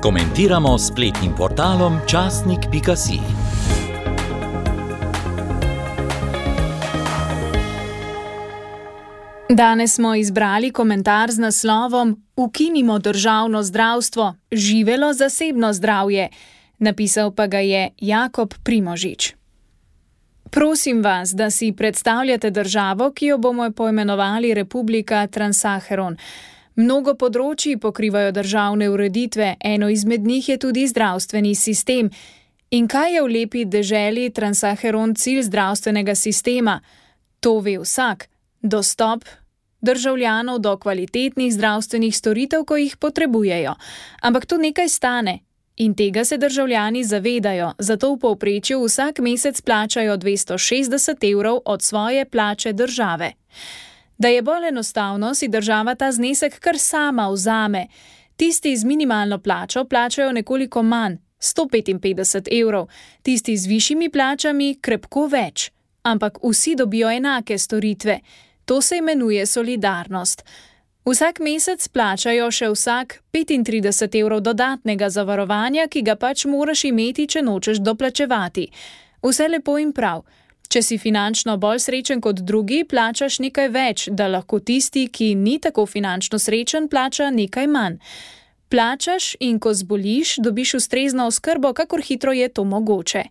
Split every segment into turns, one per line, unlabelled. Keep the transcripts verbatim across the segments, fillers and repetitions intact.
Komentiramo s spletnim portalom časnik pika si.
Danes smo izbrali komentar z naslovom Ukinimo državno zdravstvo, živelo zasebno zdravje. Napisal pa ga je Jakob Primožič. Prosim vas, da si predstavljate državo, ki jo bomo poimenovali Republika Transacheron. Mnogo področji pokrivajo državne ureditve, eno izmed njih je tudi zdravstveni sistem. In kaj je v lepi deželi Transacheron cilj zdravstvenega sistema? To ve vsak. Dostop državljanov do kvalitetnih zdravstvenih storitev, ko jih potrebujejo. Ampak to nekaj stane. In tega se državljani zavedajo, zato v povprečju vsak mesec plačajo dvesto šestdeset evrov od svoje plače države. Da je bolj enostavno, si država ta znesek kar sama vzame. Tisti z minimalno plačo plačajo nekoliko manj, sto petinpetdeset evrov, tisti z višjimi plačami krepko več. Ampak vsi dobijo enake storitve. To se imenuje solidarnost. Vsak mesec plačajo še vsak petintrideset evrov dodatnega zavarovanja, ki ga pač moraš imeti, če nočeš doplačevati. Vse lepo in prav. Če si finančno bolj srečen kot drugi, plačaš nekaj več, da lahko tisti, ki ni tako finančno srečen, plača nekaj manj. Plačaš in ko zboliš, dobiš ustrezno oskrbo, kakor hitro je to mogoče.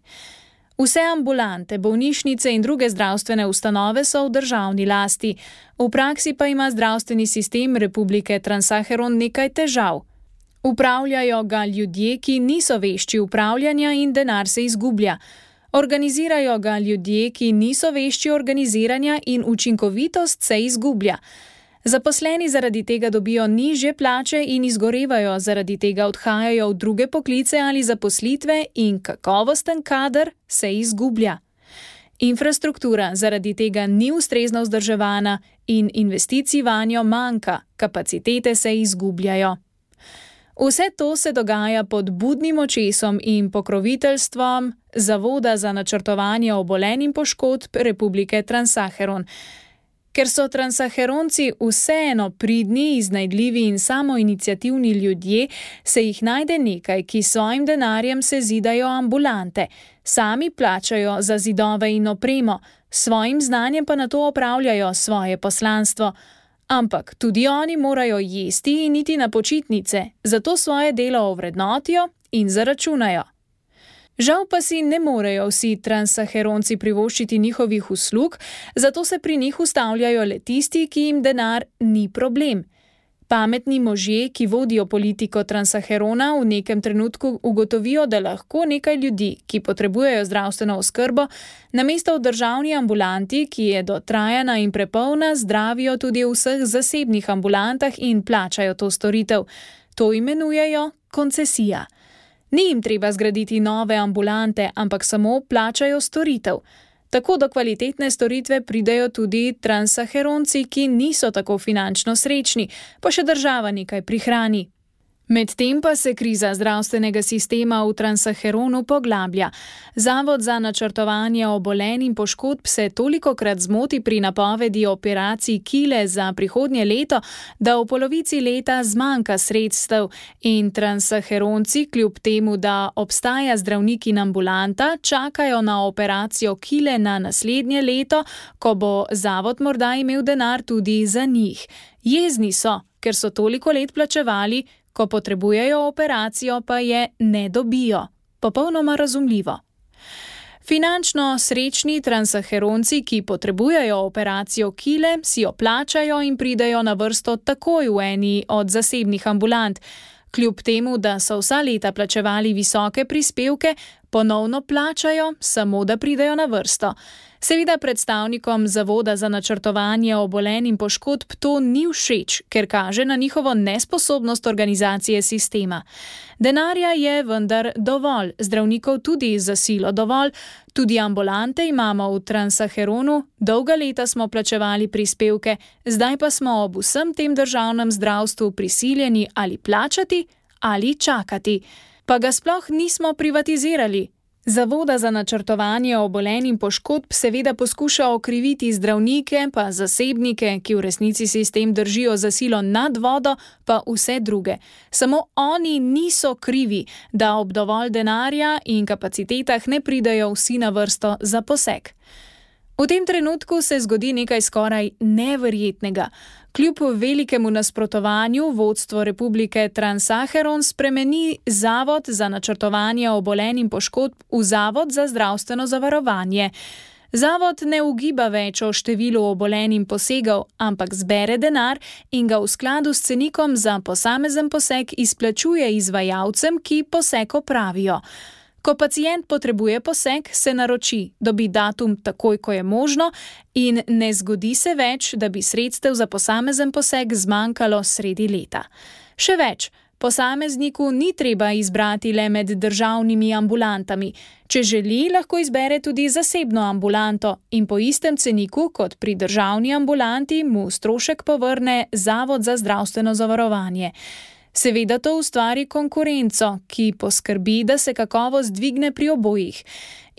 Vse ambulante, bolnišnice in druge zdravstvene ustanove so v državni lasti. V praksi pa ima zdravstveni sistem Republike Transacheron nekaj težav. Upravljajo ga ljudje, ki niso vešči upravljanja in denar se izgublja. Organizirajo ga ljudje, ki niso vešči organiziranja in učinkovitost se izgublja. Zaposleni zaradi tega dobijo nižje plače in izgorevajo, zaradi tega odhajajo v druge poklice ali zaposlitve in kakovosten kader se izgublja. Infrastruktura zaradi tega ni ustrezno vzdrževana in investicij vanjo manjka, kapacitete se izgubljajo. Vse to se dogaja pod budnim očesom in pokroviteljstvom Zavoda za načrtovanje obolenj in poškodb Republike Transacheron. Ker so Transacheronci vseeno pridni, iznajdljivi in samoiniciativni ljudje, se jih najde nekaj, ki svojim denarjem sezidajo ambulante. Sami plačajo za zidove in opremo, svojim znanjem pa nato opravljajo svoje poslanstvo. Ampak tudi oni morajo jesti in iti na počitnice, zato svoje delo ovrednotijo in zaračunajo. Žal pa si ne morejo vsi Transacheronci privoščiti njihovih uslug, zato se pri njih ustavljajo le tisti, ki jim denar ni problem. Pametni možje, ki vodijo politiko Transacherona, v nekem trenutku ugotovijo, da lahko nekaj ljudi, ki potrebujejo zdravstveno oskrbo, namesto v državni ambulanti, ki je dotrajana in prepolna, zdravijo tudi v vseh zasebnih ambulantah in plačajo to storitev. To imenujejo koncesija. Ni jim treba zgraditi nove ambulante, ampak samo plačajo storitev. Tako do kvalitetne storitve pridejo tudi Transacheronci, ki niso tako finančno srečni, pa še država nekaj prihrani. Medtem pa se kriza zdravstvenega sistema v Transacheronu poglablja. Zavod za načrtovanje obolenj in poškodb se tolikokrat zmoti pri napovedi operacij kile za prihodnje leto, da v polovici leta zmanjka sredstev in Transacheronci, kljub temu, da obstaja zdravnik in ambulanta, čakajo na operacijo kile na naslednje leto, ko bo zavod morda imel denar tudi za njih. Jezni so, ker so toliko let plačevali, ko potrebujejo operacijo, pa je ne dobijo. Popolnoma razumljivo. Finančno srečni Transacheronci, ki potrebujejo operacijo kile, si jo plačajo in pridejo na vrsto takoj v eni od zasebnih ambulant. Kljub temu, da so vsa leta plačevali visoke prispevke, ponovno plačajo, samo da pridejo na vrsto. Seveda predstavnikom Zavoda za načrtovanje obolenj in poškodb to ni všeč, ker kaže na njihovo nesposobnost organizacije sistema. Denarja je vendar dovolj, zdravnikov tudi za silo dovolj, tudi ambulante imamo v Transacheronu, dolga leta smo plačevali prispevke, zdaj pa smo ob vsem tem državnem zdravstvu prisiljeni ali plačati ali čakati. Pa ga sploh nismo privatizirali. Zavoda za načrtovanje obolenj in poškodb seveda poskuša okriviti zdravnike, pa zasebnike, ki v resnici sistem držijo za silo nad vodo, pa vse druge. Samo oni niso krivi, da ob dovolj denarja in kapacitetah ne pridejo vsi na vrsto za poseg. V tem trenutku se zgodi nekaj skoraj neverjetnega. Kljub velikemu nasprotovanju vodstvo Republike Trans-Saharon spremeni Zavod za načrtovanje obolenj in poškodb v Zavod za zdravstveno zavarovanje. Zavod ne ugiba več o številu obolenj in posegov, ampak zbere denar in ga v skladu s cenikom za posamezen poseg izplačuje izvajalcem, ki poseg opravijo. Ko pacient potrebuje poseg, se naroči, dobi datum takoj, ko je možno in ne zgodi se več, da bi sredstev za posamezen poseg zmanjkalo sredi leta. Še več, posamezniku ni treba izbrati le med državnimi ambulantami. Če želi, lahko izbere tudi zasebno ambulanto in po istem ceniku kot pri državni ambulanti mu strošek povrne Zavod za zdravstveno zavarovanje. Seveda to ustvari konkurenco, ki poskrbi, da se kakovost dvigne pri obojih.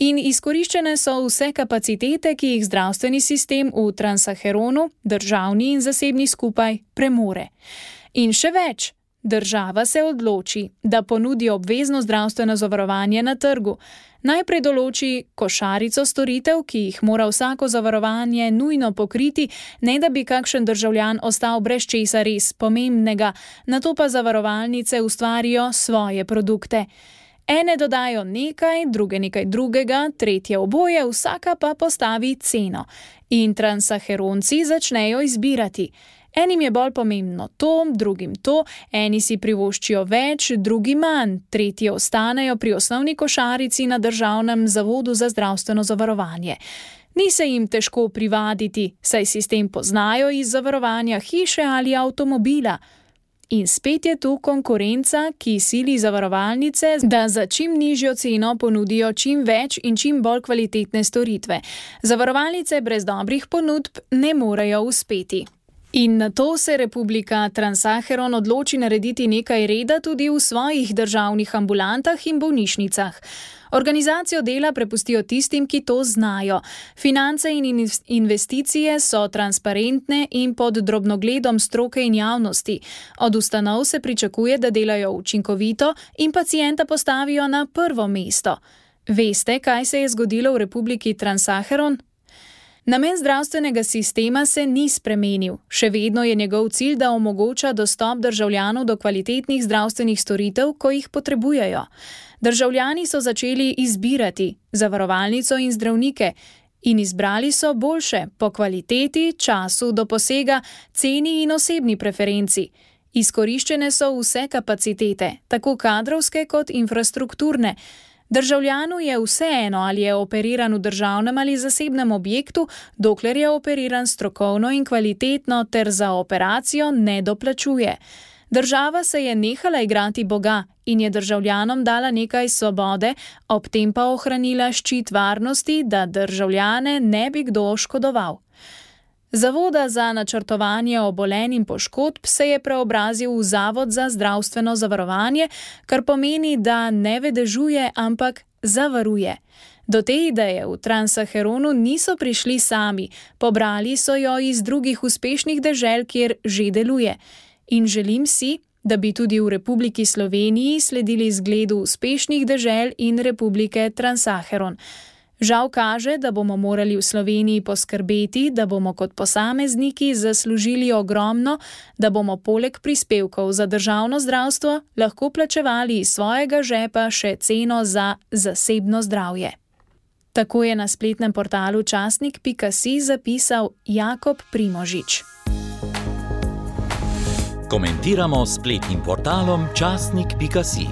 In izkoriščene so vse kapacitete, ki jih zdravstveni sistem v Trans-Saharonu, državni in zasebni skupaj, premore. In še več, država se odloči, da ponudi obvezno zdravstveno zavarovanje na trgu. Najprej določi košarico storitev, ki jih mora vsako zavarovanje nujno pokriti, ne da bi kakšen državljan ostal brez česa res pomembnega, nato pa zavarovalnice ustvarijo svoje produkte. Ene dodajo nekaj, druge nekaj drugega, tretje oboje, vsaka pa postavi ceno. In Trans-Saharonci začnejo izbirati. Enim je bolj pomembno to, drugim to, eni si privoščijo več, drugi manj, tretji ostanejo pri osnovni košarici na Državnem zavodu za zdravstveno zavarovanje. Ni se jim težko privaditi, saj sistem poznajo iz zavarovanja hiše ali avtomobila. In spet je tu konkurenca, ki sili zavarovalnice, da za čim nižjo ceno ponudijo čim več in čim bolj kvalitetne storitve. Zavarovalnice brez dobrih ponudb ne morejo uspeti. In nato se Republika Trans-Saharon odloči narediti nekaj reda tudi v svojih državnih ambulantah in bolnišnicah. Organizacijo dela prepustijo tistim, ki to znajo. Finance in investicije so transparentne in pod drobnogledom stroke in javnosti. Od ustanov se pričakuje, da delajo učinkovito in pacienta postavijo na prvo mesto. Veste, kaj se je zgodilo v Republiki Trans-Saharon? Namen zdravstvenega sistema se ni spremenil. Še vedno je njegov cilj, da omogoča dostop državljanov do kvalitetnih zdravstvenih storitev, ko jih potrebujejo. Državljani so začeli izbirati zavarovalnico in zdravnike in izbrali so boljše po kvaliteti, času do posega, ceni in osebni preferenci. Izkoriščene so vse kapacitete, tako kadrovske kot infrastrukturne. Državljanu je vseeno, ali je operiran v državnem ali zasebnem objektu, dokler je operiran strokovno in kvalitetno ter za operacijo ne doplačuje. Država se je nehala igrati Boga in je državljanom dala nekaj svobode, ob tem pa ohranila ščit varnosti, da državljane ne bi kdo oškodoval. Zavoda za načrtovanje obolenj in poškodb se je preobrazil v Zavod za zdravstveno zavarovanje, kar pomeni, da ne vedežuje, ampak zavaruje. Do te ideje v Trans-Saharonu niso prišli sami, pobrali so jo iz drugih uspešnih dežel, kjer že deluje. In želim si, da bi tudi v Republiki Sloveniji sledili zgledu uspešnih dežel in Republike Trans-Saharon. Žal kaže, da bomo morali v Sloveniji poskrbeti, da bomo kot posamezniki zaslužili ogromno, da bomo poleg prispevkov za državno zdravstvo lahko plačevali iz svojega žepa še ceno za zasebno zdravje. Tako je na spletnem portalu časnik pika si zapisal Jakob Primožič.
Komentiramo s spletnim portalom časnik pika si.